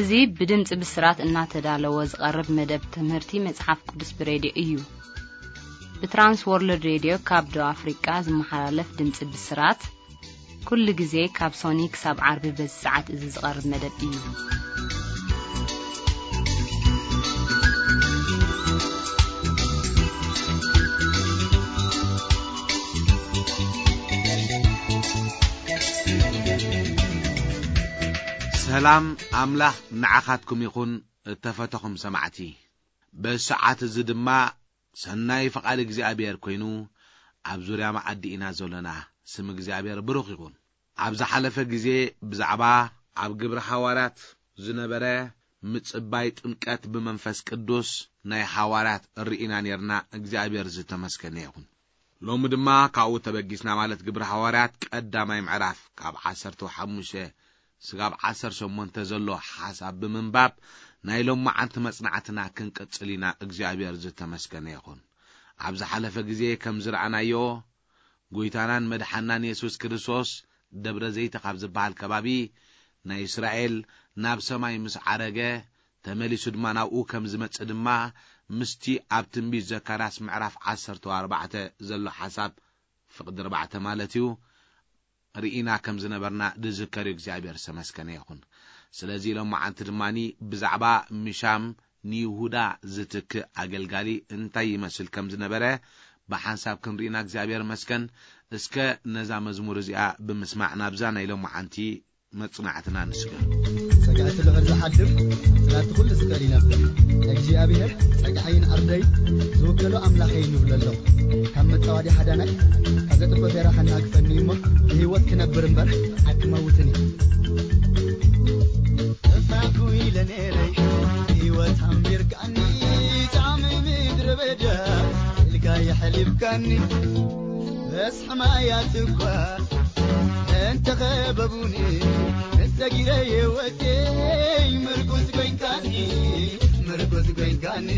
እዚ ብድምጺ ብስራት እናተዳለወ ዝቐርብ መደብ ትምህርቲ መጽሓፍ ቅዱስ ብሬድዮ እዩ። ብትራንስ ወርልድ ሬድዮ ካብ ደቡብ ኣፍሪቃ ዝመሓላለፍ ድምጺ ብስራት፣ ኩሉ ግዜ ካብ ሶኒ ክሳብ ዓርቢ በዚ ሰዓት እዚ ዝቐርብ መደብ እዩ። ሰላም ኣምላኽ ንዓኻትኩም ይኹን፣ እተፈተኹም ሰማዕቲ። በዚ ሰዓት እዚ ድማ ሰናይ ፍቓድ እግዚኣብሔር ኮይኑ፣ ኣብ ዙርያ መኣዲ ኢና ዘለና። ስም እግዚኣብሔር ብሩኽ ይኹን። ኣብ ዝሓለፈ ግዜ ብዛዕባ ኣብ ግብሪ ሃዋርያት ዝነበረ ምጽባይ ጥምቀት ብመንፈስ ቅዱስ ናይ ሃዋርያት ርኢና ኔርና። እግዚኣብሔር ዝተመስገነ ይኹን። ሎሚ ድማ ካብኡ ተበጊስና፣ ማለት ግብሪ ሃዋርያት ቀዳማይ ምዕራፍ ካብ ዓሰርተ ሓሙሽተ ስጋብ ዓሰርተ ሸሞንተ ዘሎ ሓሳብ ብምንባብ ናይ ሎማዓንቲ መጽናዕትና ክንቅጽል ኢና። እግዚኣብሔር ዝተመስገነ ይኹን። ኣብ ዝሓለፈ ግዜ ከም ዝረኣናዮ፣ ጎይታናን መድሓናን የሱስ ክርስቶስ ደብረ ዘይት ካብ ዝበሃል ከባቢ ናይ እስራኤል ናብ ሰማይ ምስ ዓረገ፣ ተመሊሱ ድማ ናብኡ ከም ዝመጽእ ድማ ምስቲ ኣብ ትንቢት ዘካርያስ ምዕራፍ ዓሰርተ ኣርባዕተ ዘሎ ሓሳብ፣ ፍቕዲ ኣርባዕተ ማለት እዩ፣ ርኢና ከም ዝነበርና ዝዝከር እዩ። እግዚኣብሔር ዝተመስገነ ይኹን። ስለዚ ሎማዓንቲ ድማኒ ብዛዕባ ምሻም ንይሁዳ ዝትክእ ኣገልጋሊ እንታይ ይመስል ከም ዝነበረ ብሓንሳብ ክንርኢና እግዚኣብሔር መስገን። እስከ ነዛ መዝሙር እዚኣ ብምስማዕ ናብዛ ናይ ሎማዓንቲ መጽናዕትና ንስገር። ጸግዒ እቲ ልዑል ዝሓድር፣ ጽላልቲ ኩሉ ዝኽእል ይነብር። እግዚኣብሔር ጸግዓይን ዓርደይ ዝውከሎ ኣምላኸይ ንብሎ ኣሎ። ካብ መጻወዲ ሓዳናይ፣ ካብ ዘጥፍኦ ሴራ ከናግፈኒ እሞ፣ ብህይወት ክነብር እምበር ኣይክመውትን እየ። ጠፋእኩ ኢለ ነይረይ፣ ህይወት ኣንቢርካኒ፣ ጣዕሚ ምድረ በዳ ኢልካ የሕሊፍካኒ። በስሒ ማያት እኳ እንተኸበቡኒ፣ ንሰጊረ ህይወተይ ምርኩስ ኮይንካኒ፣ ምርኩስ ኮይንካኒ።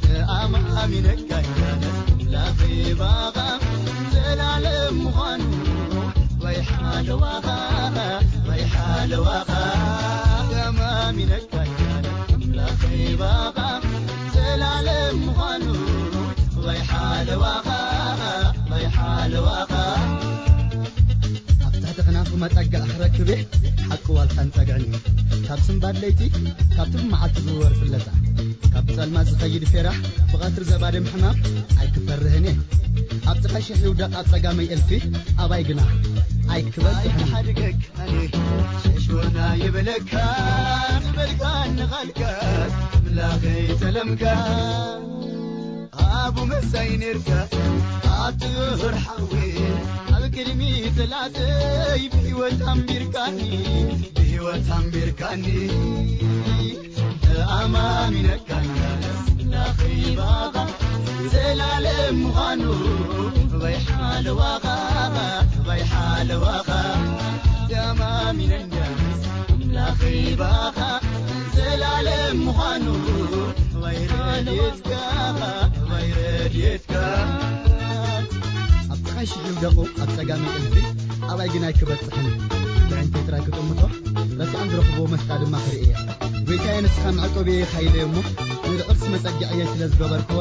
ተኣማሚነካ ኣምላኸይ ባኻ ዘላለም ምዃኑ፣ ወይ ሓለዋኻ፣ ወይ ሓለዋኻ። ተኣማሚነካ ኣምላኸይ ባኻ ዘላለም ምዃኑ፣ ወይ ሓለዋኻ፣ ወይ ሓለዋኻ። ኣብ ትሕቲ ክናፉ መጠግዒ ክረክብ እየ፣ ሓቂ ዋልታን ጸግዕን እዩ። ካብ ስንባድ ለይቲ፣ ካብቲ ብመዓልቲ ዝውወር ፍለጻ፣ ካብ ብጸልማት ዝኸይድ ፌራሕ፣ ብቐትሪ ዘባድም ሕማም ኣይክፈርህን እየ። ኣብ ጥቓ ሽሕ ይውደቕ ኣብ ጸጋመይ እልፊ፣ ኣባይ ግና ኣይክበጽሕን። ኣይሓድገካን እየ፣ ሸሽወና የበለካ፣ ዝበልካኒ ቃልካ፣ ኣምላኸይ ጸለምካ። ኣቡ መሳይ ኔርካ ኣብቲ ዙር ሓዊ፣ ኣብ ቅድሚ ጽላተይ ብህይወት ኣንቢርካኒ፣ ብህይወት ኣንቢርካኒ። ተኣማሚነካ ኣምላኸይ ባኻ ዘላለም ምዃኑ፣ ወይ ሓለዋኻ፣ ወይ ሓለዋኻ። ተኣማሚነካ ኣምላኸይ ባኻ ዘላለም ምዃኑ፣ ወይ ረድኤትካ፣ ወይ ረድኤትካ። ኣብ ጥቓይ ሽሕ ይውደቑ፣ ኣብ ጸጋመይ እልፊ፣ ኣባይ ግን ኣይክበጽሕን። ብዕንተይ ጥራይ ክጥምቶ፣ ረሲዖም ዝረኽብዎ መስጣ ድማ ክርኢ እየ። ጎይታየ፣ ንስኻ መዕቆቢየ ኢኻ ኢለ እሞ፣ ንልዑል ስመ ጸግዕየይ ስለ ዝገበርክዎ፣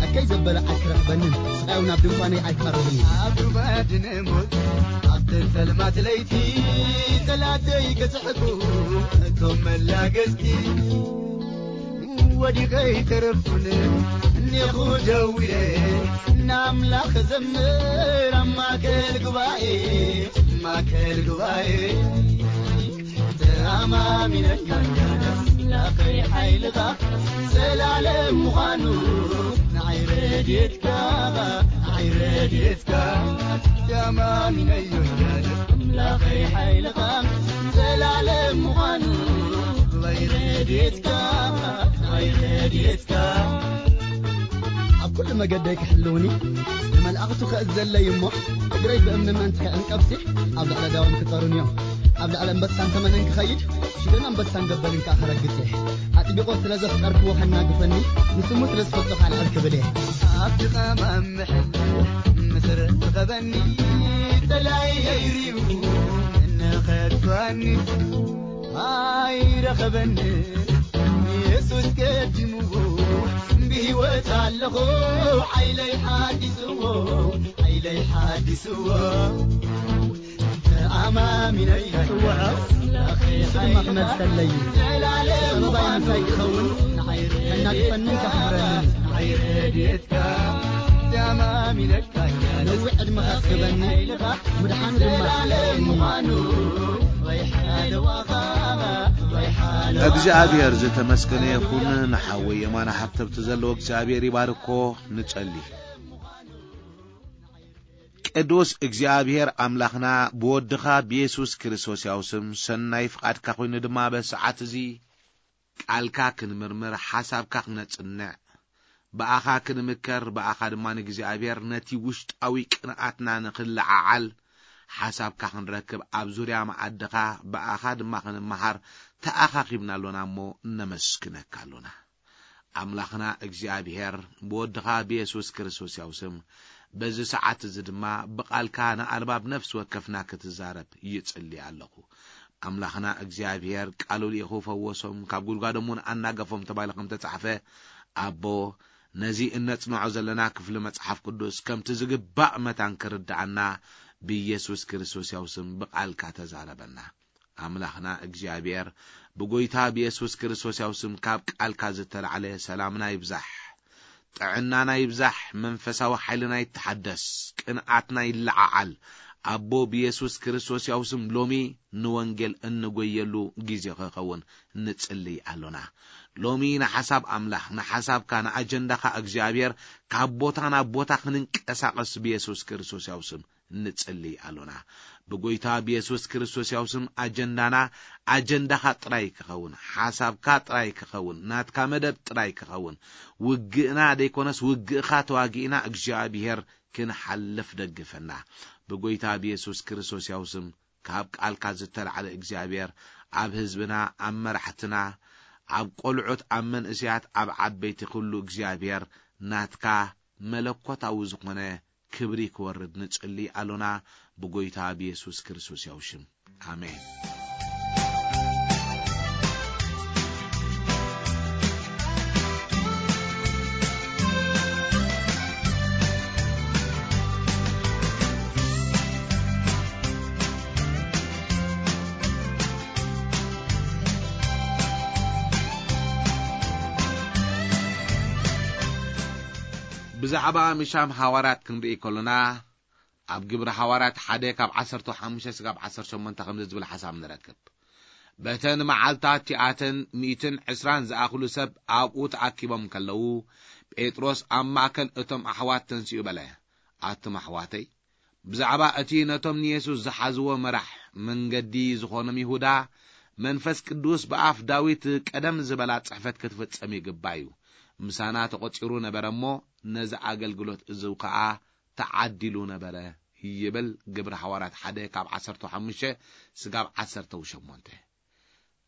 ኣከይ ዘበለ ኣይክረኽበንን፣ ስቓይ እውን ኣብ ድንኳነይ ኣይክቐርብን እዩ። ኣብ ሩባ ድነ ሞት፣ ኣብተን ጸልማት ለይቲ፣ ጸላተይ ክስሕቁ፣ እቶም መላገጽቲ። ወዲቐ ኣይተረፉን፣ እኔኹ ደዊለ፣ ንኣምላኽ ዘምር ኣብ ማእከል ጉባኤ፣ ማእከል ጉባኤ። ተኣማሚነካ ኣምላኸይ ሓይልኻ ዘላለም ምዃኑ፣ ንዓይ ረድኤትካ፣ ንዓይ ረድኤትካ። ተኣማሚነዮ ኣምላኸይ ሓይልኻ ዘላለም ምዃኑ፣ ወይ ረድኤትካ፣ ወይ ረድኤትካ። ኣብ ኩሉ መገደይ ክሕልውኒ፣ ንመላእኽቱ ከእዘለይ እሞ፣ እግረይ ብእምኒ ምእንቲ ከይዕንቀፍሲ፣ ኣብ ልዕሊ ኣዳውን ክጸሩን እዮም። ኣብ ልዕሊ ኣንበሳን ተመንን ክኸይድ፣ ሽደን ኣንበሳን ገበልን ከኣ ከረግጽ እየ። ኣጥቢቑ ስለ ዘፍቀርክዎ ከናግፈኒ፣ ንስሙ ስለ ዝፈልጦ ከኣ ልዕል ክብል እየ። ኣብቲ ቐማም ምሕል ምስ ረኸበኒ፣ ጸላኢ ሪኡ እንኸድፋኒ። ኣይረኸበኒ ኢየሱስ ቀዲምዎ፣ ብህይወት ኣለኹ ሓይለይ ሓዲስዎ፣ ሓይለይ ሓዲስዎ። ተኣማሚነይ ይጽውዖ፣ ንሱ ድማ ክመልሰለይ እዩ። ዘላለም ሰበባይ ምሳይ ክኸውን፣ ከናግፈንን ከኽብረንን እዩ። ንዓይ ረድኤትካ፣ ተኣማሚነካ ነዊሕ ዕድመ ከክበኒ፣ ምድሓኑ ድማ ዘላለም ምዃኑ፣ ወይ ሓደ ዋኻ፣ ወይ ሓደ እግዚኣብሔር ዝተመስገነ ይኹን። ንሓወይ የማነ ሃብተብቲ ዘለዎ እግዚኣብሔር ይባርኮ። ንጸሊ። ቅዱስ እግዚኣብሔር ኣምላኽና፣ ብወድኻ ብየሱስ ክርስቶስ ያው ስም ሰናይ ፍቓድካ ኮይኑ ድማ በዚ ሰዓት እዚ ቃልካ ክንምርምር፣ ሓሳብካ ክነጽንዕ፣ ብኣኻ ክንምከር፣ ብኣኻ ድማ ንእግዚኣብሔር ነቲ ውሽጣዊ ቅንኣትና ንኽለዓዓል፣ ሓሳብካ ክንረክብ፣ ኣብ ዙርያ መኣድኻ ብኣኻ ድማ ክንመሃር ተኣኻኺብና ኣሎና እሞ፣ ነመስግነካ ኣሎና። ኣምላኽና እግዚኣብሔር፣ ብወድኻ ብየሱስ ክርስቶስ ያው ስም፣ በዚ ሰዓት እዚ ድማ ብቓልካ ንኣልባብ ነፍሲ ወከፍና ክትዛረብ ይጽሊ ኣለኹ። ኣምላኽና እግዚኣብሔር፣ ቃሉ ልኢኹ ፈወሶም፣ ካብ ጉድጓዶም እውን ኣናገፎም ተባሂሉ ከም ተጻሕፈ፣ ኣቦ፣ ነዚ እነጽንዖ ዘለና ክፍሊ መጽሓፍ ቅዱስ ከምቲ ዝግባእ መታን ክርድኣና፣ ብየሱስ ክርስቶስ ያው ስም ብቓልካ ተዛረበና። ኣምላኽና እግዚኣብሔር፣ ብጎይታ ብየሱስ ክርስቶስ ያው ስም ካብ ቃልካ ዝተላዕለ ሰላምና ይብዛሕ፣ ጥዕናና ይብዛሕ፣ መንፈሳዊ ሓይልና ይተሓደስ፣ ቅንኣትና ይለዓዓል። ኣቦ ብየሱስ ክርስቶስ ያው ስም ሎሚ ንወንጌል እንጎየሉ ግዜ ክኸውን ንጽልይ ኣሎና። ሎሚ ንሓሳብ ኣምላኽ፣ ንሓሳብካ፣ ንኣጀንዳኻ እግዚኣብሔር ካብ ቦታ ናብ ቦታ ክንንቀሳቐስ ብየሱስ ክርስቶስ ያው ስም ንጽልይ ኣሎና። ብጎይታ ብየሱስ ክርስቶስ ያው ስም ኣጀንዳና ኣጀንዳኻ ጥራይ ክኸውን፣ ሓሳብካ ጥራይ ክኸውን፣ ናትካ መደብ ጥራይ ክኸውን፣ ውግእና ደይኮነስ ውግእኻ ተዋጊእና እግዚኣብሔር ክንሓልፍ ደግፈና። ብጎይታ ብየሱስ ክርስቶስ ያው ስም ካብ ቃልካ ዝተላዕለ እግዚኣብሔር ኣብ ህዝብና፣ ኣብ መራሕትና፣ ኣብ ቆልዑት፣ ኣብ መንእሰያት፣ ኣብ ዓበይቲ ኩሉ እግዚኣብሔር ናትካ መለኮታዊ ዝኾነ ክብሪ ክወርድ ንጽሊ ኣሎና ብጎይታ ብየሱስ ክርስቶስ ያው ሽም። ኣሜን። ብዛዕባ ምሻም ሃዋርያት ክንርኢ ከሎና፣ ኣብ ግብሪ ሃዋርያት ሓደ ካብ ዓሰርተ ሓሙሽተ ስጋብ ዓሰርተ ሸሞንተ ከምዚ ዝብል ሓሳብ ንረክብ። በተን መዓልታት እቲኣተን ሚእትን ዕስራን ዝኣኽሉ ሰብ ኣብኡ ተኣኪቦም ከለዉ፣ ጴጥሮስ ኣብ ማእከል እቶም ኣሕዋት ተንሲኡ በለ፣ ኣቱም ኣሕዋተይ፣ ብዛዕባ እቲ ነቶም ንየሱስ ዝሓዝዎ መራሕ መንገዲ ዝኾኖም ይሁዳ፣ መንፈስ ቅዱስ ብኣፍ ዳዊት ቀደም ዝበላ ጽሕፈት ክትፍጸም ይግባእ እዩ። ምሳና ተቖጺሩ ነበረ እሞ፣ ነዚ ኣገልግሎት እዚ ኸኣ ተዓዲሉ ነበረ ይብል ግብሪ ሃዋርያት ሓደ ካብ ዓሰርተ ሓሙሽተ ስጋብ ዓሰርተ ሸሞንተ።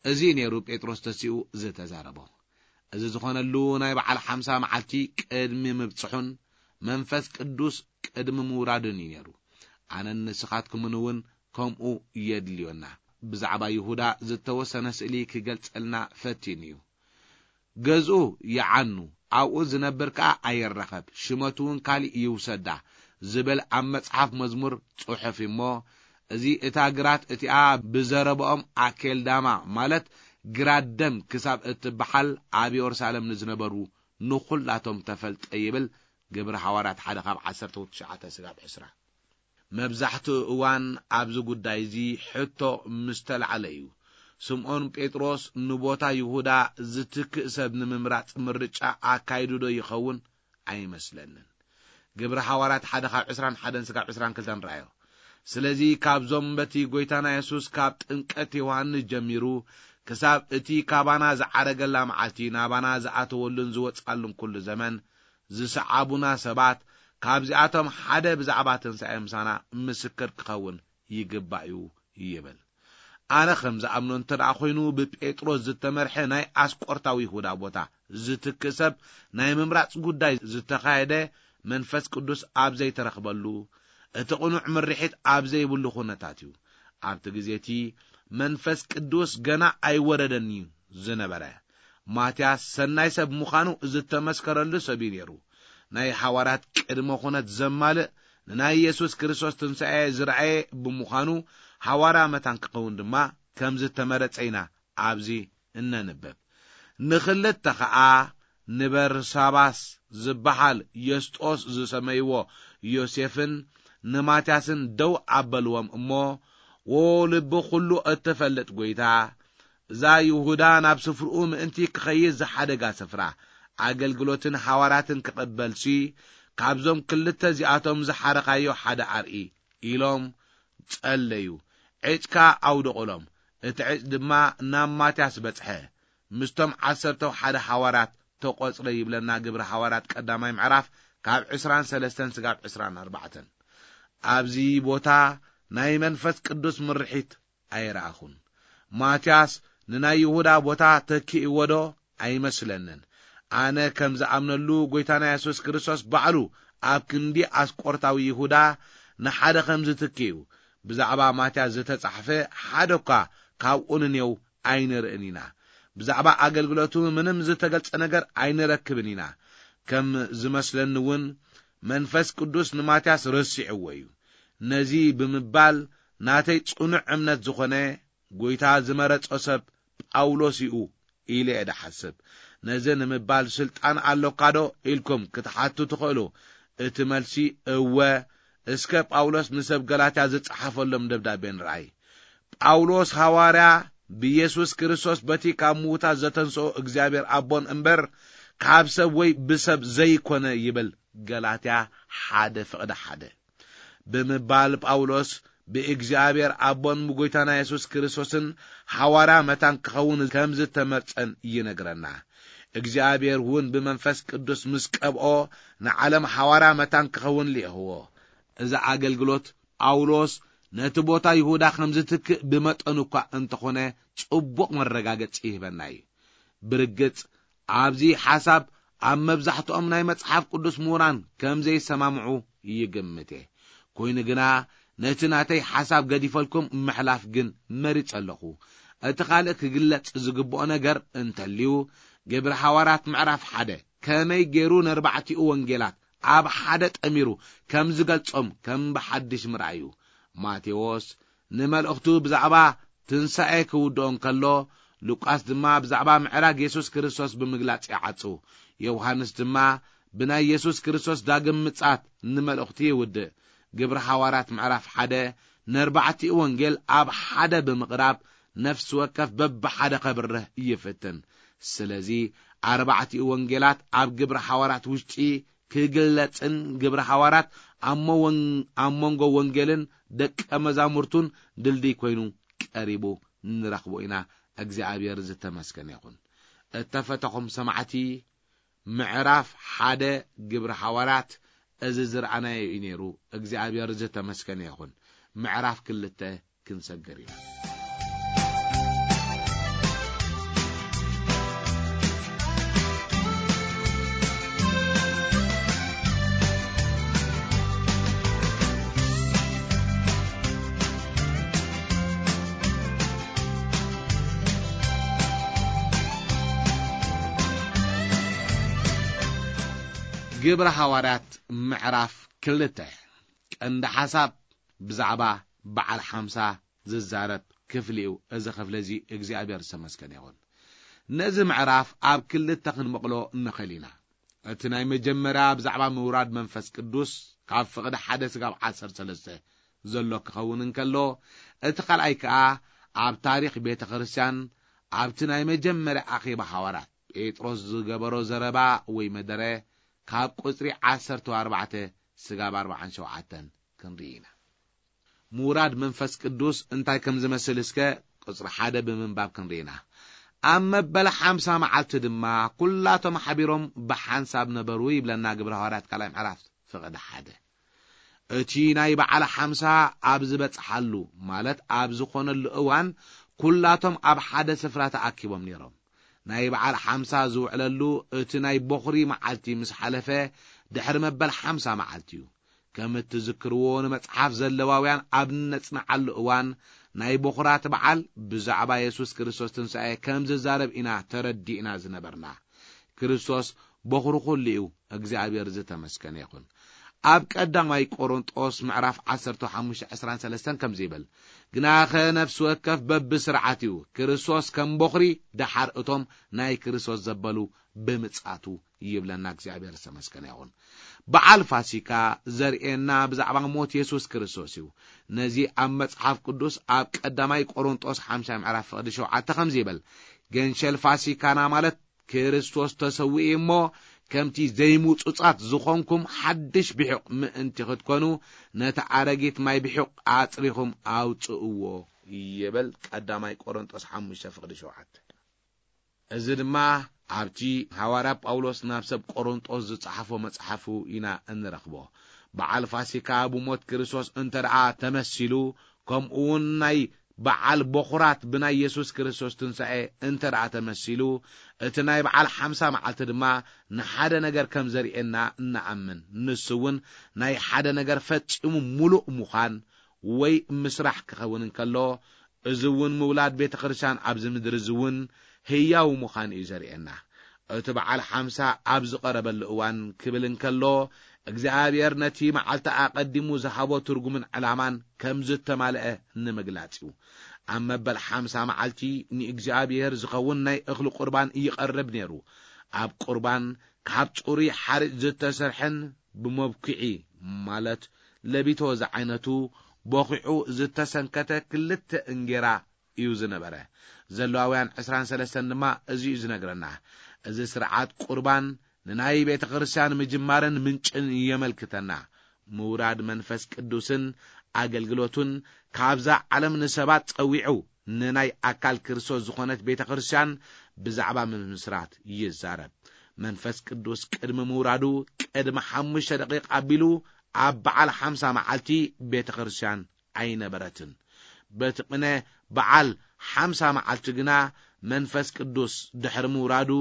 እዚ ነይሩ ጴጥሮስ ተሲኡ ዝተዛረቦ። እዚ ዝኾነሉ ናይ በዓል ሓምሳ መዓልቲ ቅድሚ ምብጽሑን መንፈስ ቅዱስ ቅድሚ ምውራዱን እዩ ነይሩ። ኣነን ንስኻትኩምን እውን ከምኡ የድልዮና። ብዛዕባ ይሁዳ ዝተወሰነ ስእሊ ክገልጸልና ፈቲኑ እዩ። ገዝኡ ይዓኑ፣ ኣብኡ ዝነብር ከኣ ኣይረኸብ፣ ሽመቱ እውን ካልእ ይውሰዳ ዝብል ኣብ መጽሓፍ መዝሙር ጽሑፍ እሞ፣ እዚ እታ ግራት እቲኣ ብዘረባኦም ኣኬልዳማ ማለት ግራት ደም ክሳብ እትበሃል ኣብ የሩሳሌም ንዝነበሩ ንኹላቶም ተፈልጠ ይብል ግብሪ ሃዋርያት ሓደ ካብ ዓሰርተ ትሽዓተ ስጋብ ዕስራ። መብዛሕትኡ እዋን ኣብዚ ጉዳይ እዚ ሕቶ ምስ ተላዕለ እዩ። ስምዖን ጴጥሮስ ንቦታ ይሁዳ ዝትክእ ሰብ ንምምራጽ ምርጫ ኣካይዱ ዶ ይኸውን? ኣይመስለንን። ግብሪ ሃዋርያት ሓደ ካብ ዕስራን ሓደን ስጋብ ዕስራን ክልተን ረኣዮ። ስለዚ ካብዞም በቲ ጐይታና የሱስ ካብ ጥምቀት ዮሃንስ ጀሚሩ ክሳብ እቲ ካባና ዝዓረገላ መዓልቲ ናባና ዝኣተወሉን ዝወጽኣሉን ኩሉ ዘመን ዝሰዓቡና ሰባት ካብዚኣቶም ሓደ ብዛዕባ ትንሳኤ ምሳና ምስክር ክኸውን ይግባእ እዩ ይብል። ኣነ ከም ዝኣምኖ እንተ ደኣ ኾይኑ ብጴጥሮስ ዝተመርሐ ናይ ኣስቆርታዊ ይሁዳ ቦታ ዝትክእ ሰብ ናይ ምምራጽ ጉዳይ ዝተኻየደ መንፈስ ቅዱስ ኣብ ዘይተረኽበሉ እቲ ቅኑዕ ምርሒት ኣብ ዘይብሉ ኩነታት እዩ። ኣብቲ ግዜ እቲ መንፈስ ቅዱስ ገና ኣይወረደን እዩ ዝነበረ። ማትያስ ሰናይ ሰብ ምዃኑ ዝተመስከረሉ ሰብ እዩ ነይሩ። ናይ ሓዋርያት ቅድመ ኩነት ዘማልእ ንናይ የሱስ ክርስቶስ ትንሳኤ ዝረኣየ ብምዃኑ፣ ሓዋርያ መታን ክኸውን ድማ ከም ዝተመረጸ ኢና ኣብዚ እነንብብ። ንኽልተ ኸኣ ንበርሳባስ ዝበሃል ዮስጦስ ዝሰመይዎ ዮሴፍን ንማትያስን ደው ኣበልዎም እሞ፣ "ዎ ልቢ ኹሉ እትፈልጥ ጐይታ፣ እዛ ይሁዳ ናብ ስፍርኡ ምእንቲ ክኸይድ ዝሓደጋ ስፍራ፣ ኣገልግሎትን ሓዋርያትን ክቕበልሲ፣ ካብዞም ክልተ እዚኣቶም ዝሓረኻዮ ሓደ ኣርኢ" ኢሎም ጸለዩ። ዕጭ ከኣ ኣውደቑሎም። እቲ ዕጭ ድማ ናብ ማትያስ በጽሐ። ምስቶም ዓሰርተው ሓደ ሓዋርያት ተቖጽረ ይብለና ግብሪ ሓዋርያት ቀዳማይ ምዕራፍ ካብ ዕስራን ሰለስተን ስጋብ ዕስራን ኣርባዕተን። ኣብዚ ቦታ ናይ መንፈስ ቅዱስ ምርሒት ኣይረኣኹን። ማትያስ ንናይ ይሁዳ ቦታ ተኪእዎ ዶ? ኣይመስለንን። ኣነ ከም ዝኣምነሉ፣ ጐይታና የሱስ ክርስቶስ ባዕሉ ኣብ ክንዲ ኣስቆርታዊ ይሁዳ ንሓደ ከም ዝትክእ'ዩ ብዛዕባ ማትያስ ዝተጻሕፈ ሓደ እኳ ካብኡ ንኔው ኣይንርእን ኢና። ብዛዕባ ኣገልግሎቱ ምንም ዝተገልጸ ነገር ኣይንረክብን ኢና። ከም ዝመስለኒ እውን መንፈስ ቅዱስ ንማትያስ ረሲዕዎ እዩ። ነዚ ብምባል ናተይ ጽኑዕ እምነት ዝኾነ ጐይታ ዝመረጾ ሰብ ጳውሎስ እዩ ኢለ እየ ድሓስብ። ነዚ ንምባል ስልጣን ኣሎካ ዶ ኢልኩም ክትሓቱ ትኽእሉ። እቲ መልሲ እወ። እስከ ጳውሎስ ንሰብ ገላትያ ዝጸሓፈሎም ደብዳቤ ንርኣይ። ጳውሎስ ሃዋርያ ብየሱስ ክርስቶስ በቲ ካብ ምዉታት ዘተንስኦ እግዚኣብሔር ኣቦን እምበር ካብ ሰብ ወይ ብሰብ ዘይኮነ ይብል። ገላትያ ሓደ ፍቕዲ ሓደ። ብምባል ጳውሎስ ብእግዚኣብሔር ኣቦን ብጎይታና የሱስ ክርስቶስን ሓዋርያ መታን ክኸውን ከም ዝተመርጸን ይነግረና። እግዚኣብሔር እውን ብመንፈስ ቅዱስ ምስ ቀብኦ ንዓለም ሓዋርያ መታን ክኸውን ልኢኽዎ። እዚ ኣገልግሎት ጳውሎስ ነቲ ቦታ ይሁዳ ከም ዝትክእ ብመጠኑ እኳ እንተኾነ ጽቡቕ መረጋገጺ ይህበና እዩ። ብርግጽ ኣብዚ ሓሳብ ኣብ መብዛሕትኦም ናይ መጽሓፍ ቅዱስ ምሁራን ከም ዘይሰማምዑ ይግምት እየ። ኮይኑ ግና ነቲ ናተይ ሓሳብ ገዲፈልኩም ምሕላፍ ግን መሪጸ ኣለኹ። እቲ ካልእ ክግለጽ ዝግብኦ ነገር እንተልዩ፣ ግብሪ ሃዋርያት ምዕራፍ ሓደ ከመይ ገይሩ ነርባዕቲኡ ወንጌላት ኣብ ሓደ ጠሚሩ ከም ዝገልጾም ከም ብሓድሽ ምርኣይ እዩ። ማቴዎስ ንመልእኽቱ ብዛዕባ ትንሳኤ ክውድኦ እንከሎ፣ ሉቃስ ድማ ብዛዕባ ምዕራግ የሱስ ክርስቶስ ብምግላጽ ይዓጹ። ዮሃንስ ድማ ብናይ የሱስ ክርስቶስ ዳግም ምጽኣት ንመልእኽቱ ይውድእ። ግብሪ ሃዋርያት ምዕራፍ ሓደ ነርባዕቲኡ ወንጌል ኣብ ሓደ ብምቕራብ ነፍሲ ወከፍ በብሓደ ከብርህ ይፍትን። ስለዚ ኣርባዕቲኡ ወንጌላት ኣብ ግብሪ ሃዋርያት ውሽጢ ክግለጽን ግብሪ ሃዋርያት ኣብ መወን-፣ ኣብ መንጎ ወንጌልን ደቀ መዛሙርቱን ድልድይ ኮይኑ ቀሪቡ ንረኽቦ ኢና። እግዚኣብሔር ዝተመስገነ ይኹን። እተፈተኹም ሰማዕቲ፣ ምዕራፍ ሓደ ግብሪ ሃዋርያት እዚ ዝረኣናዮ እዩ ነይሩ። እግዚኣብሔር ዝተመስገነ ይኹን። ምዕራፍ ክልተ ክንሰግር ኢና። ግብሪ ሃዋርያት ምዕራፍ ክልተ። ቀንዲ ሓሳብ ብዛዕባ በዓል ሓምሳ ዝዛረብ ክፍሊ እዩ። እዚ ክፍሊ እዚ እግዚኣብሔር ዝተመስገነ ይኹን። ነዚ ምዕራፍ ኣብ ክልተ ክንመቕሎ ንኽእል ኢና። እቲ ናይ መጀመርያ ብዛዕባ ምውራድ መንፈስ ቅዱስ ካብ ፍቕዲ ሓደ ስጋብ ዓሰርተ ሰለስተ ዘሎ ክኸውን እንከሎ፣ እቲ ካልኣይ ከኣ ኣብ ታሪኽ ቤተ ክርስቲያን ኣብቲ ናይ መጀመርያ ኣኼባ ሃዋርያት ጴጥሮስ ዝገበሮ ዘረባ ወይ መደረ ካብ ቁጽሪ ዓሰርተ ኣርባዕተ ስጋብ ኣርባዓን ሸውዓተን ክንርኢ ኢና። ምውራድ መንፈስ ቅዱስ እንታይ ከም ዝመስል እስከ ቁጽሪ ሓደ ብምንባብ ክንርኢ ኢና። ኣብ መበል ሓምሳ መዓልቲ ድማ ኩላቶም ሓቢሮም ብሓንሳብ ነበሩ ይብለና ግብረ ሃዋርያት ካልኣይ ምዕራፍ ፍቕዲ ሓደ። እቲ ናይ በዓል ሓምሳ ኣብ ዝበጽሓሉ፣ ማለት ኣብ ዝኾነሉ እዋን፣ ኩላቶም ኣብ ሓደ ስፍራ ተኣኪቦም ነይሮም። ናይ በዓል ሓምሳ ዝውዕለሉ እቲ ናይ ቦኽሪ መዓልቲ ምስ ሓለፈ፣ ድሕሪ መበል ሓምሳ መዓልቲ እዩ። ከም እትዝክርዎ፣ ንመጽሓፍ ዘለዋውያን ኣብ እነጽንዓሉ እዋን፣ ናይ በኹራት በዓል ብዛዕባ የሱስ ክርስቶስ ትንሳኤ ከም ዝዛረብ ኢና ተረዲእና ዝነበርና። ክርስቶስ በኹሪ ኩሉ እዩ። እግዚኣብሔር ዝተመስገነ ይኹን። ኣብ ቀዳማይ ቆሮንጦስ ምዕራፍ ዓሰርተ ሓሙሽተ ዕስራን ሰለስተን ከምዚ ይብል፣ "ግናኸ ነፍሲ ወከፍ በብስርዓት እዩ፣ ክርስቶስ ከም በኹሪ፣ ደሓር እቶም ናይ ክርስቶስ ዘበሉ ብምጻቱ" ይብለና። እግዚኣብሔር ዝተመስገነ ይኹን። በዓል ፋሲካ ዘርእየና ብዛዕባ ሞት የሱስ ክርስቶስ እዩ። ነዚ ኣብ መጽሓፍ ቅዱስ ኣብ ቀዳማይ ቆሮንጦስ ሓምሻይ ምዕራፍ ፍቕዲ ሸውዓተ ከምዚ ይብል፣ "ገንሸል ፋሲካና ማለት ክርስቶስ ተሰዊኡ እሞ፣ ከምቲ ዘይምጹጻት ዝኾንኩም ሓድሽ ብሑቕ ምእንቲ ክትኮኑ፣ ነቲ ኣረጊት ማይ ብሑቕ ኣጽሪኹም ኣውጽእዎ" ይብል ቀዳማይ ቆሮንጦስ ሓሙሽተ ፍቕዲ ሸውዓተ። እዚ ድማ ኣብቲ ሃዋርያ ጳውሎስ ናብ ሰብ ቆሮንጦስ ዝጸሓፎ መጽሓፉ ኢና እንረኽቦ። በዓል ፋሲካ ብሞት ክርስቶስ እንተ ደኣ ተመሲሉ፣ ከምኡ እውን ናይ በዓል በኹራት ብናይ የሱስ ክርስቶስ ትንሳኤ እንተ ደኣ ተመሲሉ፣ እቲ ናይ በዓል ሓምሳ መዓልቲ ድማ ንሓደ ነገር ከም ዘርእየና እንኣምን። ንሱ እውን ናይ ሓደ ነገር ፈጺሙ ምሉእ ምዃን ወይ ምስራሕ ክኸውን እንከሎ፣ እዚ እውን ምውላድ ቤተ ክርስቲያን ኣብዚ ምድሪ እዚ እውን ህያው ምዃን እዩ ዘርእየና። እቲ በዓል ሓምሳ ኣብ ዝቐረበሉ እዋን ክብል እንከሎ፣ እግዚኣብሔር ነቲ መዓልቲ ኣቐዲሙ ዝሃቦ ትርጉምን ዕላማን ከም ዝተማልአ ንምግላጽ እዩ። ኣብ መበል ሓምሳ መዓልቲ ንእግዚኣብሔር ዝኸውን ናይ እኽሊ ቁርባን ይቐርብ ነይሩ። ኣብ ቁርባን ካብ ጽሩይ ሓርጭ ዝተሰርሐን ብመብኩዒ፣ ማለት ለቢቶ ዝዓይነቱ፣ ቦኺዑ ዝተሰንከተ ክልተ እንጌራ እዩ ዝነበረ። ዘለዋውያን ዕስራን ሰለስተን ድማ እዚ እዩ ዝነግረና። እዚ ስርዓት ቁርባን ንናይ ቤተ ክርስቲያን ምጅማርን ምንጭን የመልክተና። ምውራድ መንፈስ ቅዱስን ኣገልግሎቱን ካብዛ ዓለም ንሰባት ጸዊዑ፣ ንናይ ኣካል ክርስቶስ ዝኾነት ቤተ ክርስቲያን ብዛዕባ ምምስራት ይዛረብ። መንፈስ ቅዱስ ቅድሚ ምውራዱ ቅድሚ ሓሙሽተ ደቂቕ ኣቢሉ ኣብ በዓል ሓምሳ መዓልቲ ቤተ ክርስቲያን ኣይነበረትን። በቲ ቅነ በዓል ሓምሳ መዓልቲ ግና መንፈስ ቅዱስ ድሕሪ ምውራዱ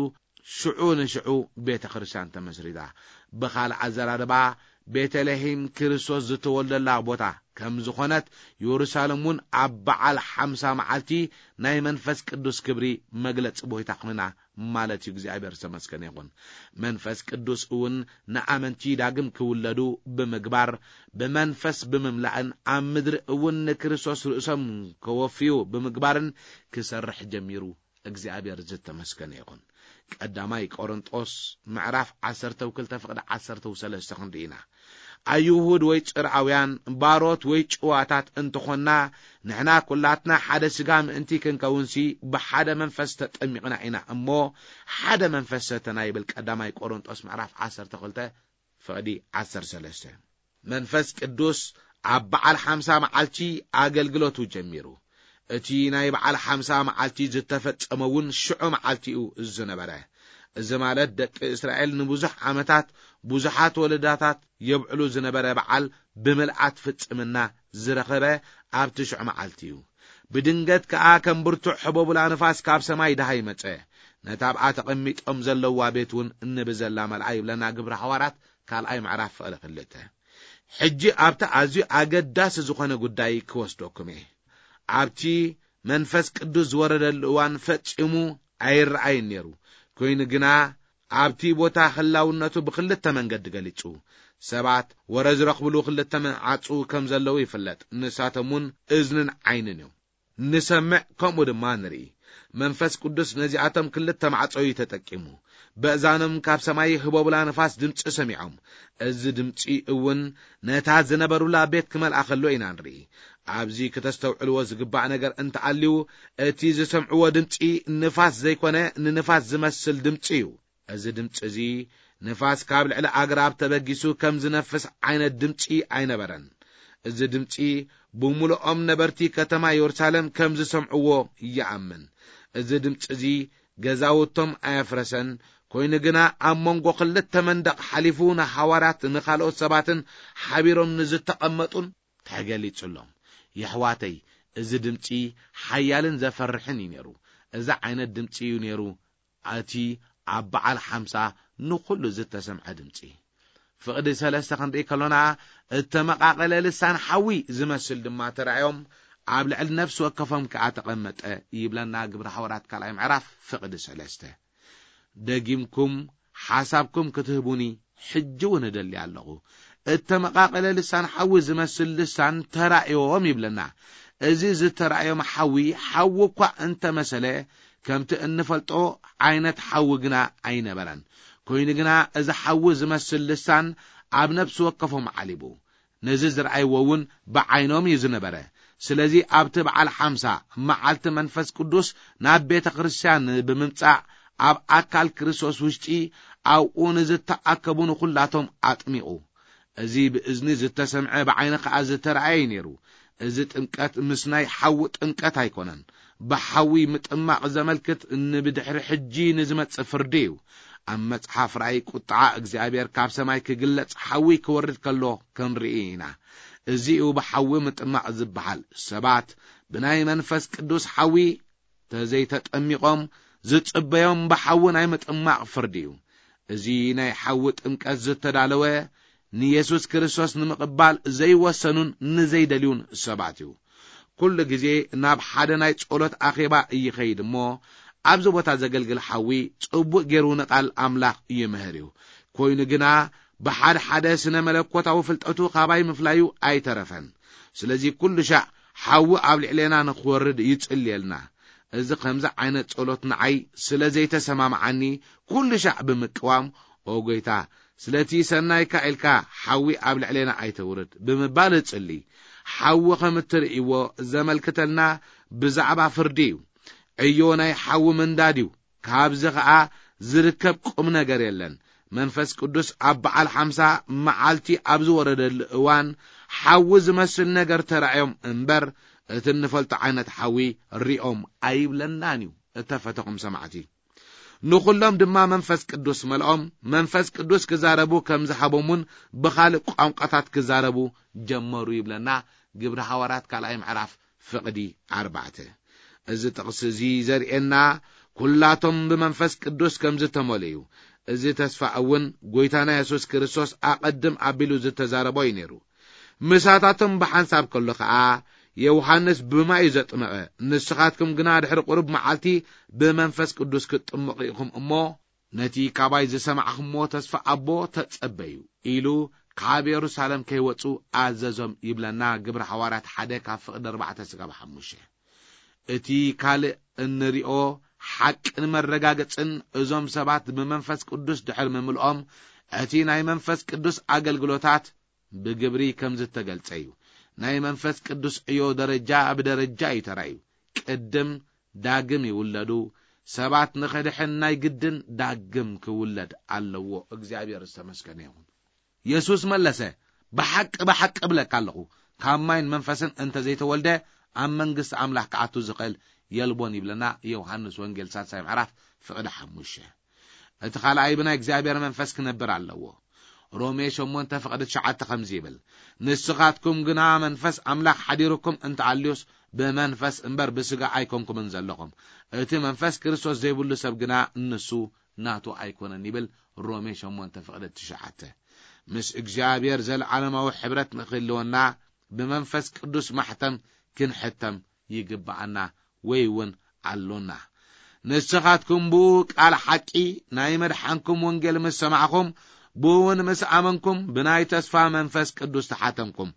ሽዑ ንሽዑ ቤተ ክርስቲያን ተመስሪታ። ብኻልእ ኣዘራርባ፣ ቤተልሔም ክርስቶስ ዝተወልደላ ቦታ ከም ዝኾነት፣ የሩሳሌም እውን ኣብ በዓል ሓምሳ መዓልቲ ናይ መንፈስ ቅዱስ ክብሪ መግለጺ ቦይታ ኮይና ማለት እዩ። እግዚኣብሔር ዝተመስገነ ይኹን። መንፈስ ቅዱስ እውን ንኣመንቲ ዳግም ክውለዱ ብምግባር፣ ብመንፈስ ብምምላእን ኣብ ምድሪ እውን ንክርስቶስ ርእሶም ከወፍዩ ብምግባርን ክሰርሕ ጀሚሩ። እግዚኣብሔር ዝተመስገነ ይኹን። ቀዳማይ ቆሮንጦስ ምዕራፍ ዓሰርተ ክልተ ፍቕዲ ዓሰርተ ሰለስተ ክንርኢ ኢና። ኣይሁድ ወይ ጽርኣውያን፣ ባሮት ወይ ጭዋታት እንተኾንና፣ ንሕና ኩላትና ሓደ ስጋ ምእንቲ ክንከውንሲ ብሓደ መንፈስ ተጠሚቕና ኢና እሞ፣ ሓደ መንፈስ ሰተና ይብል ቀዳማይ ቆሮንጦስ ምዕራፍ ዓሰርተ ክልተ ፍቕዲ ዓሰርተ ሰለስተ። መንፈስ ቅዱስ ኣብ በዓል ሓምሳ መዓልቲ ኣገልግሎቱ ጀሚሩ። እቲ ናይ በዓል ሓምሳ መዓልቲ ዝተፈጸመ እውን ሽዑ መዓልቲ እዩ ዝነበረ። እዚ ማለት ደቂ እስራኤል ንብዙሕ ዓመታት ብዙሓት ወለዳታት የብዕሉ ዝነበረ በዓል ብምልኣት ፍጽምና ዝረኸበ ኣብቲ ሽዑ መዓልቲ እዩ። ብድንገት ከኣ ከም ብርቱዕ ሕቦብላ ንፋስ ካብ ሰማይ ደሃይ መጸ። ነታ ኣብኣ ተቐሚጦም ዘለዋ ቤት እውን እንብዘላ መልኣ ይብለና ግብሪ ሓዋርያት ካልኣይ ምዕራፍ ፍቕዲ ክልተ። ሕጂ ኣብቲ ኣዝዩ ኣገዳሲ ዝኾነ ጉዳይ ክወስደኩም እየ። ኣብቲ መንፈስ ቅዱስ ዝወረደሉ እዋን ፈጺሙ ኣይረኣይን ነይሩ። ኮይኑ ግና ኣብቲ ቦታ ህላውነቱ ብክልተ መንገዲ ገሊጹ። ሰባት ወረ ዝረኽብሉ ክልተ መዓጹ ከም ዘለዉ ይፍለጥ። ንሳቶም እውን እዝንን ዓይንን እዮም። ንሰምዕ፣ ከምኡ ድማ ንርኢ። መንፈስ ቅዱስ ነዚኣቶም ክልተ ማዕጾ እዩ ተጠቂሙ። በእዛኖም ካብ ሰማይ ህቦብላ ንፋስ ድምጺ ሰሚዖም። እዚ ድምጺ እውን ነታ ዝነበሩላ ቤት ክመልኣ ከሎ ኢና ንርኢ። ኣብዚ ክተስተውዕልዎ ዝግባእ ነገር እንተኣልዩ፣ እቲ ዝሰምዕዎ ድምጺ ንፋስ ዘይኮነ፣ ንንፋስ ዝመስል ድምጺ እዩ። እዚ ድምጺ እዚ ንፋስ ካብ ልዕሊ ኣግራብ ተበጊሱ ከም ዝነፍስ ዓይነት ድምጺ ኣይነበረን። እዚ ድምጺ ብምሉኦም ነበርቲ ከተማ የሩሳሌም ከም ዝሰምዕዎ ይኣምን። እዚ ድምጺ እዚ ገዛውቶም ኣየፍረሰን፣ ኮይኑ ግና ኣብ መንጎ ክልተ መንደቕ ሓሊፉ ንሃዋርያት ንኻልኦት ሰባትን ሓቢሮም ንዝተቐመጡን ተገሊጹሎም። የሕዋተይ፣ እዚ ድምጺ ሓያልን ዘፈርሕን እዩ ነይሩ። እዚ ዓይነት ድምጺ እዩ ነይሩ እቲ ኣብ በዓል ሓምሳ ንኹሉ ዝተሰምዐ ድምጺ። ፍቕዲ ሰለስተ ክንርኢ ከሎና፣ እተመቓቐለ ልሳን ሓዊ ዝመስል ድማ ተራእዮም፣ ኣብ ልዕሊ ነፍሲ ወከፎም ከኣ ተቐመጠ ይብለና ግብሪ ሓዋርያት ካልኣይ ምዕራፍ ፍቕዲ ሰለስተ። ደጊምኩም ሓሳብኩም ክትህቡኒ ሕጂ እውን እደሊ ኣለኹ። እተመቓቐለ ልሳን ሓዊ ዝመስል ልሳን ተራእዮም ይብለና። እዚ ዝተራእዮም ሓዊ ሓዊ እኳ እንተመሰለ፣ ከምቲ እንፈልጦ ዓይነት ሓዊ ግና ኣይነበረን። ኮይኑ ግና እዚ ሓዊ ዝመስል ልሳን ኣብ ነፍሲ ወከፎም ዓሊቡ። ነዚ ዝረኣይዎ እውን ብዓይኖም እዩ ዝነበረ። ስለዚ ኣብቲ በዓል ሓምሳ መዓልቲ መንፈስ ቅዱስ ናብ ቤተ ክርስቲያን ብምምጻእ ኣብ ኣካል ክርስቶስ ውሽጢ ኣብኡ ንዝተኣከቡ ንኹላቶም ኣጥሚቑ። እዚ ብእዝኒ ዝተሰምዐ ብዓይኒ ከኣ ዝተረኣየ እዩ ነይሩ። እዚ ጥምቀት ምስ ናይ ሓዊ ጥምቀት ኣይኮነን። ብሓዊ ምጥማቕ ዘመልክት ንብድሕሪ ሕጂ ንዝመጽእ ፍርዲ እዩ። ኣብ መጽሓፍ ራእይ ቁጥዓ እግዚኣብሔር ካብ ሰማይ ክግለጽ ሓዊ ክወርድ ከሎ ክንርኢ ኢና። እዚ እዩ ብሓዊ ምጥማቕ ዝበሃል። ሰባት ብናይ መንፈስ ቅዱስ ሓዊ ተዘይተጠሚቖም ዝጽበዮም ብሓዊ ናይ ምጥማቕ ፍርዲ እዩ። እዚ ናይ ሓዊ ጥምቀት ዝተዳለወ ንየሱስ ክርስቶስ ንምቕባል ዘይወሰኑን ንዘይደልዩን ሰባት እዩ። ኩሉ ግዜ ናብ ሓደ ናይ ጸሎት ኣኼባ ይኸይድ እሞ፣ ኣብዚ ቦታ ዘገልግል ሓዊ ጽቡቕ ገይሩ ንቓል ኣምላኽ ይምህር እዩ። ኮይኑ ግና፣ ብሓደ ሓደ ስነ መለኮታዊ ፍልጠቱ ካባይ ምፍላዩ ኣይተረፈን። ስለዚ ኩሉ ሻዕ ሓዊ ኣብ ልዕሌና ንኽወርድ ይጽልየልና። እዚ ከምዚ ዓይነት ጸሎት ንዓይ ስለ ዘይተሰማምዓኒ፣ ኩሉ ሻዕ ብምቅዋም፣ "ኦ ጎይታ፣ ስለቲ ሰናይካ ኢልካ ሓዊ ኣብ ልዕሌና ኣይተውርድ" ብምባል እጽሊ። ሓዊ ከም እትርእይዎ ዘመልክተልና ብዛዕባ ፍርዲ እዩ። ዕዮ ናይ ሓዊ ምንዳድ እዩ። ካብዚ ኸኣ ዝርከብ ቁም ነገር የለን። መንፈስ ቅዱስ ኣብ በዓል ሓምሳ መዓልቲ ኣብ ዝወረደሉ እዋን፣ ሓዊ ዝመስል ነገር ተራእዮም እምበር፣ እቲ እንፈልጦ ዓይነት ሓዊ ሪኦም ኣይብለናን እዩ። እተፈተኹም ሰማዕቲ፣ ንኹሎም ድማ መንፈስ ቅዱስ መልኦም፣ መንፈስ ቅዱስ ክዛረቡ ከም ዝሃቦምን ብኻልእ ቋንቋታት ክዛረቡ ጀመሩ ይብለና ግብሪ ሃዋርያት ካልኣይ ምዕራፍ ፍቕዲ ኣርባዕተ። እዚ ጥቕሲ እዚ ዘርእየና፣ ኩላቶም ብመንፈስ ቅዱስ ከም ዝተመልኡ እዩ። እዚ ተስፋ እውን ጎይታና የሱስ ክርስቶስ ኣቐድም ኣቢሉ ዝተዛረቦ እዩ ነይሩ። ምሳታቶም ብሓንሳብ ከሎ ኸኣ፣ "ዮሃንስ ብማይ እዩ ዘጥመቐ፣ ንስኻትኩም ግና ድሕሪ ቁሩብ መዓልቲ ብመንፈስ ቅዱስ ክትጥመቑ ኢኹም እሞ፣ ነቲ ካባይ ዝሰማዕኹምዎ ተስፋ ኣቦ ተጸበዩ" ኢሉ ካብ የሩሳሌም ከይወጹ ኣዘዞም ይብለና ግብሪ ሃዋርያት ሓደ ካብ ፍቕዲ ኣርባዕተ ስጋብ ሓሙሽተ። እቲ ካልእ እንሪኦ ሓቅን መረጋገጽን እዞም ሰባት ብመንፈስ ቅዱስ ድሕሪ ምምልኦም፣ እቲ ናይ መንፈስ ቅዱስ ኣገልግሎታት ብግብሪ ከም ዝተገልጸ እዩ። ናይ መንፈስ ቅዱስ ዕዮ ደረጃ ብደረጃ እዩ ተራእዩ። ቅድም ዳግም ይውለዱ። ሰባት ንኽድሕን ናይ ግድን ዳግም ክውለድ ኣለዎ። እግዚኣብሔር ዝተመስገነ ይኹን። የሱስ መለሰ፣ "ብሓቂ፣ ብሓቂ እብለካ ኣለኹ፣ ካብ ማይን መንፈስን እንተ ዘይተወልደ፣ ኣብ መንግስቲ ኣምላኽ ክኣቱ ዝኽእል የልቦን" ይብለና ዮሃንስ ወንጌል ሳልሳይ ምዕራፍ ፍቕዲ ሓሙሽተ። እቲ ካልኣይ ብናይ እግዚኣብሔር መንፈስ ክነብር ኣለዎ። ሮሜ ሸሞንተ ፍቕዲ ትሽዓተ ከምዚ ይብል፣ "ንስኻትኩም ግና መንፈስ ኣምላኽ ሓዲሩኩም እንተኣልዩስ፣ ብመንፈስ እምበር ብስጋ ኣይኮንኩምን ዘለኹም። እቲ መንፈስ ክርስቶስ ዘይብሉ ሰብ ግና ንሱ ናቱ ኣይኮነን" ይብል ሮሜ ሸሞንተ ፍቕዲ ትሽዓተ። ምስ እግዚኣብሔር ዘለዓለማዊ ሕብረት ንኽህልወና ብመንፈስ ቅዱስ ማሕተም ክንሕተም ይግብኣና ወይ እውን ኣሎና። ንስኻትኩም ብኡ ቃል ሓቂ ናይ መድሓንኩም ወንጌል ምስ ሰማዕኹም፣ ብኡ እውን ምስ ኣመንኩም፣ ብናይ ተስፋ መንፈስ ቅዱስ ተሓተምኩም።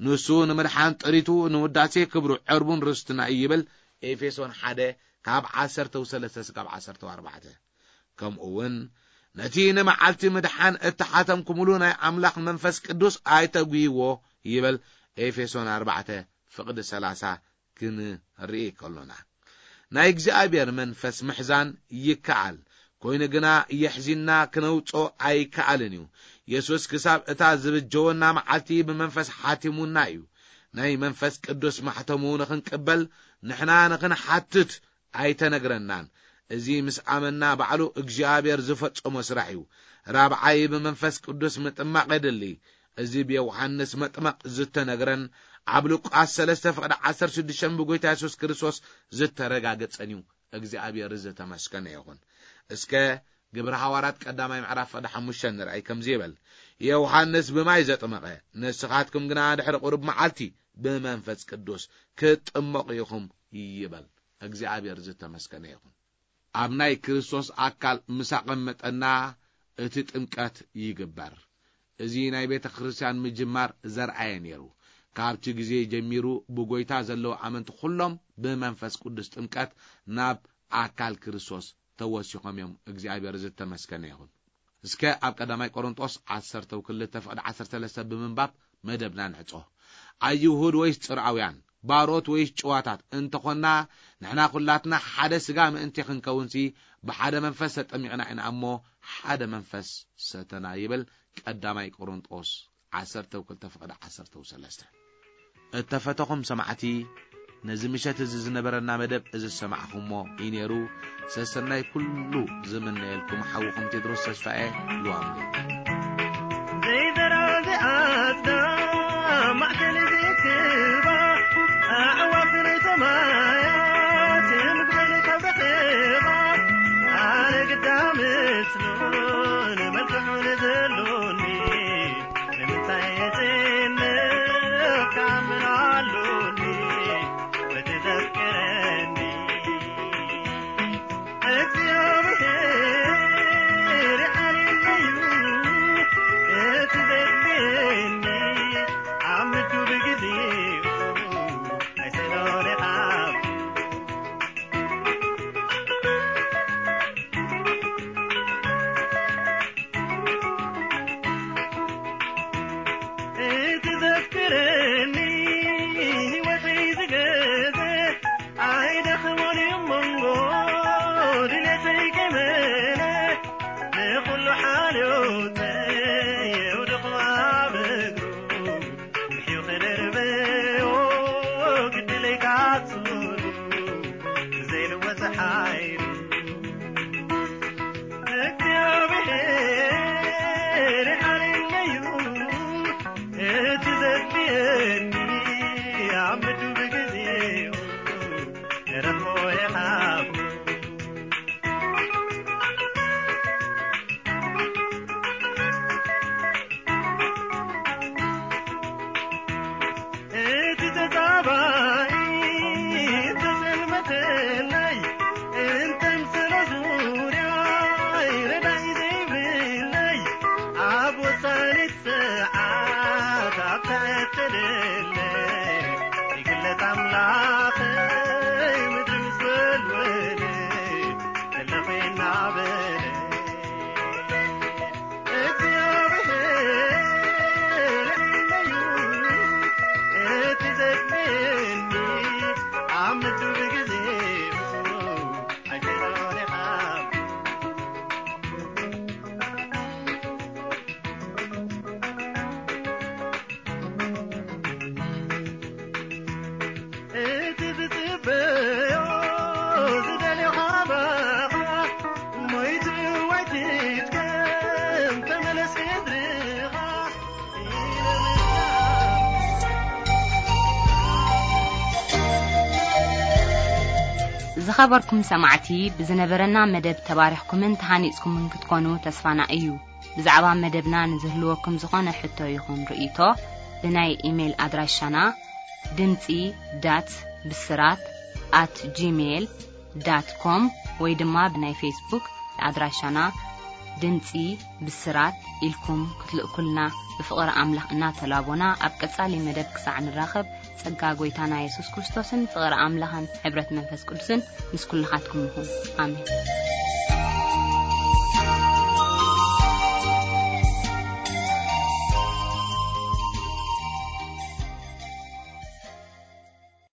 ንሱ ንምድሓን ጥሪቱ ንውዳሴ ክብሩ ዕርቡን ርስትና እዩ ይብል ኤፌሶን ሓደ ካብ ዓሰርተ ሰለስተ ስጋብ ዓሰርተ ኣርባዕተ። ከምኡ እውን ነቲ ንመዓልቲ ምድሓን እተሓተምኩምሉ ናይ ኣምላኽ መንፈስ ቅዱስ ኣይተጉይዎ ይብል ኤፌሶን ኣርባዕተ ፍቕዲ ሰላሳ ክንርኢ ከሎና። ናይ እግዚኣብሔር መንፈስ ምሕዛን ይከኣል፣ ኮይኑ ግና የሕዚንና ክነውጾ ኣይከኣልን እዩ። የሱስ ክሳብ እታ ዝብጀወና መዓልቲ ብመንፈስ ሓቲሙና እዩ። ናይ መንፈስ ቅዱስ ማሕተሙ ንኽንቅበል ንሕና ንኽንሓትት ኣይተነግረናን። እዚ ምስ ኣመና ባዕሉ እግዚኣብሔር ዝፈጸሞ ስራሕ እዩ። ራብዓይ ብመንፈስ ቅዱስ ምጥማቕ የድሊ። እዚ ብዮሃንስ መጥመቕ ዝተነግረን ኣብ ሉቃስ ሰለስተ ፍቕዲ ዓሰርተ ሽዱሽተ ብጎይታ የሱስ ክርስቶስ ዝተረጋገጸን እዩ። እግዚኣብሔር ዝተመስገነ ይኹን። እስከ ግብሪ ሃዋርያት ቀዳማይ ምዕራፍ ፍቕዲ ሓሙሽተ ንርኣይ ከምዚ ይብል፣ "ዮሃንስ ብማይ ዘጥመቐ፣ ንስኻትኩም ግና ድሕሪ ቁሩብ መዓልቲ ብመንፈስ ቅዱስ ክትጥመቑ ኢኹም ይበል። እግዚኣብሔር ዝተመስገነ ይኹን። ኣብ ናይ ክርስቶስ ኣካል ምስ ኣቐመጠና እቲ ጥምቀት ይግበር። እዚ ናይ ቤተ ክርስቲያን ምጅማር ዘርኣየ ነይሩ። ካብቲ ግዜ ጀሚሩ ብጎይታ ዘለዉ ኣመንቲ ኩሎም ብመንፈስ ቅዱስ ጥምቀት ናብ ኣካል ክርስቶስ ተወሲኾም እዮም። እግዚኣብሔር ዝተመስገነ ይኹን። እስከ ኣብ ቀዳማይ ቆሮንጦስ ዓሰርተ ክልተ ፍቕዲ ዓሰርተ ሰለስተ ብምንባብ መደብና ንዕጾ። ኣይሁድ ወይስ ጽርኣውያን፣ ባሮት ወይስ ጭዋታት እንተኾንና፣ ንሕና ኩላትና ሓደ ስጋ ምእንቲ ክንከውንሲ ብሓደ መንፈስ ተጠሚቕና ኢና እሞ ሓደ መንፈስ ሰተና ይብል። ቀዳማይ ቆሮንጦስ ዓሰርተ ክልተ ፍቕዲ ዓሰርተ ሰለስተ። እተፈተኹም ሰማዕቲ፣ ነዚ ምሸት እዚ ዝነበረና መደብ እዚ ዝሰማዕኹሞ እዩ ነይሩ። ሰሰናይ ኩሉ ዝምነየልኩም ሓውኹም ቴድሮስ ተስፋኤ ሉዋምሪ። ዘይዘራ ዘይኣጽዳ ማዕከን ዘይክባ ኣዕዋፍ ናይ ሰማያት ምግበን ካብ ረኸባ ኣነ ግዳ ምስሉን መልክዑን ዘሎኒ ንምንታይ እጽንፍ ካምን ኣሉኒ በቲ ዘፍቅረኒ እግዚኣብሔር ሓልየለዩ እቲ ዘድልየኒ ኣብ ምድሩ ብግዜኡ ኣይሰሎን ኢኻ እቲ ዘፍቅረኒ ህይወተይ ዝገዘ ኣይደኽሞን እዩ መንጎ ድሌተይ ከይመነ ንኹሉ ሓልዮተይ የውድቑ ኣብ እግሩ ምሕዩ ክደርበዮ ግድለይ ካትሉ ዘይልወጥ ሓይሉ እግዚኣብሔር ሓልየለዩ እቲ ዘድልየኒ ኣብ ምድሩ ብግዜኡ ንረኽቦ ኢኻ እቲ ተጻባኢ እንተጸልመተለይ እንተምሰሎ ዙርያይ ረዳኢ ዘይብለይ ኣብ ወሳኒት ሰዓት ኣብታ እተደለይ ይግለጽ ኣምላኸይ ምድሪ ምስ ወልወለ ከለኹ እናበለ እግዚኣብሔር እዩ እቲ ዘድልየኒ ኣብ ምድሪ ብግዜኡ ኣይተረኻ እቲ ዝጽበዮ ዝደልዮ ካባኻ ሞይቱ ወይ ትድከም ተመለስ ሕድርኻ ዝኸበርኩም ሰማዕቲ፣ ብዝነበረና መደብ ተባሪኽኩምን ተሃኒጽኩምን ክትኮኑ ተስፋና እዩ። ብዛዕባ መደብና ንዝህልወኩም ዝኾነ ሕቶ ይኹን ርእይቶ፣ ብናይ ኢሜይል ኣድራሻና ድምጺ ዳት ብስራት ኣት ጂሜይል ዳት ኮም ወይ ድማ ብናይ ፌስቡክ ኣድራሻና ድምጺ ብስራት ኢልኩም ክትልእኩልና ብፍቕሪ ኣምላኽ እናተላቦና፣ ኣብ ቀጻሊ መደብ ክሳዕ ንራኸብ፣ ጸጋ ጎይታና የሱስ ክርስቶስን ፍቕሪ ኣምላኽን ሕብረት መንፈስ ቅዱስን ምስ ኩልኻትኩም ይኹን። ኣሜን።